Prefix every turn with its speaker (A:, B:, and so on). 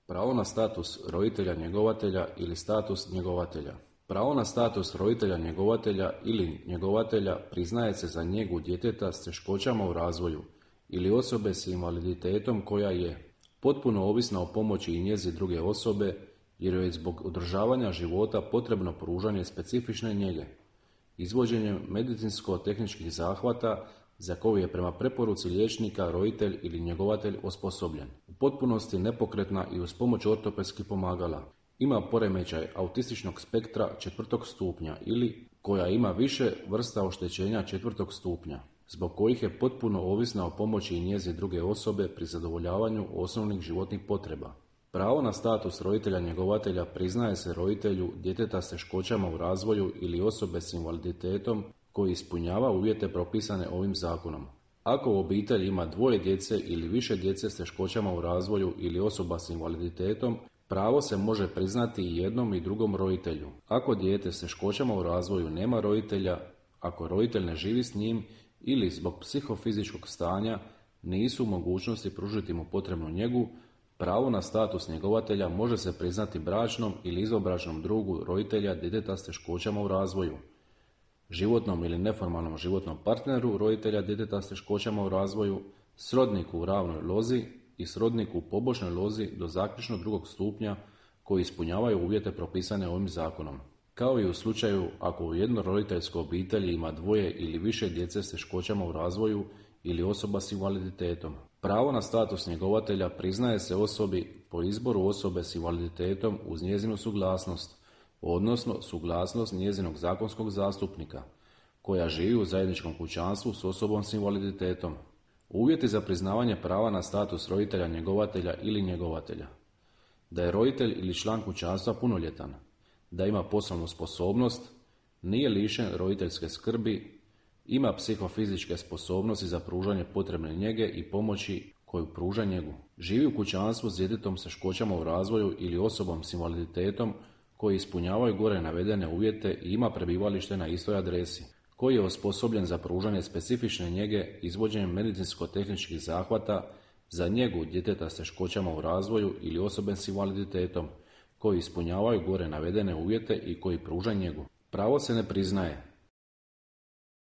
A: Pravo na status roditelja njegovatelja ili status njegovatelja. Pravo na status roditelja njegovatelja ili njegovatelja priznaje se za njegu djeteta s teškoćama u razvoju ili osobe s invaliditetom koja je potpuno ovisna o pomoći i njezi druge osobe jer joj je zbog održavanja života potrebno pružanje specifične njege, izvođenjem medicinsko-tehničkih zahvata za koju je prema preporuci liječnika roditelj ili njegovatelj osposobljen. U potpunosti nepokretna i uz pomoć ortopedskih pomagala. Ima poremećaj autističnog spektra 4. stupnja ili koja ima više vrsta oštećenja 4. stupnja, zbog kojih je potpuno ovisna o pomoći i njezi druge osobe pri zadovoljavanju osnovnih životnih potreba. Pravo na status roditelja njegovatelja priznaje se roditelju djeteta s teškoćama u razvoju ili osobe s invaliditetom koji ispunjava uvjete propisane ovim zakonom. Ako u obitelji ima dvoje djece ili više djece s teškoćama u razvoju ili osoba s invaliditetom, pravo se može priznati i jednom i drugom roditelju. Ako dijete s teškoćama u razvoju nema roditelja, ako roditelj ne živi s njim ili zbog psihofizičkog stanja nisu u mogućnosti pružiti mu potrebnu njegu, pravo na status njegovatelja može se priznati bračnom ili izvanbračnom drugu roditelja djeteta s teškoćama u razvoju, životnom ili neformalnom životnom partneru roditelja djeteta s teškoćama u razvoju, srodniku u ravnoj lozi i srodniku u pobočnoj lozi do zaključno 2. stupnja koji ispunjavaju uvjete propisane ovim zakonom. Kao i u slučaju ako u jednoroditeljskoj obitelji ima dvoje ili više djece s teškoćama u razvoju ili osoba s invaliditetom. Pravo na status njegovatelja priznaje se osobi po izboru osobe s invaliditetom uz njezinu suglasnost, odnosno suglasnost njezinog zakonskog zastupnika, koja živi u zajedničkom kućanstvu s osobom s invaliditetom. Uvjeti za priznavanje prava na status roditelja njegovatelja ili njegovatelja. Da je roditelj ili član kućanstva punoljetan, da ima poslovnu sposobnost, nije lišen roditeljske skrbi, ima psihofizičke sposobnosti za pružanje potrebne njege i pomoći koju pruža njegu. Živi u kućanstvu s djetetom s teškoćama u razvoju ili osobom s invaliditetom koji ispunjavaju gore navedene uvjete i ima prebivalište na istoj adresi, koji je osposobljen za pružanje specifične njege izvođenjem medicinsko-tehničkih zahvata za njegu djeteta s teškoćama u razvoju ili osobe s invaliditetom koji ispunjavaju gore navedene uvjete i koji pruža njegu. Pravo se ne priznaje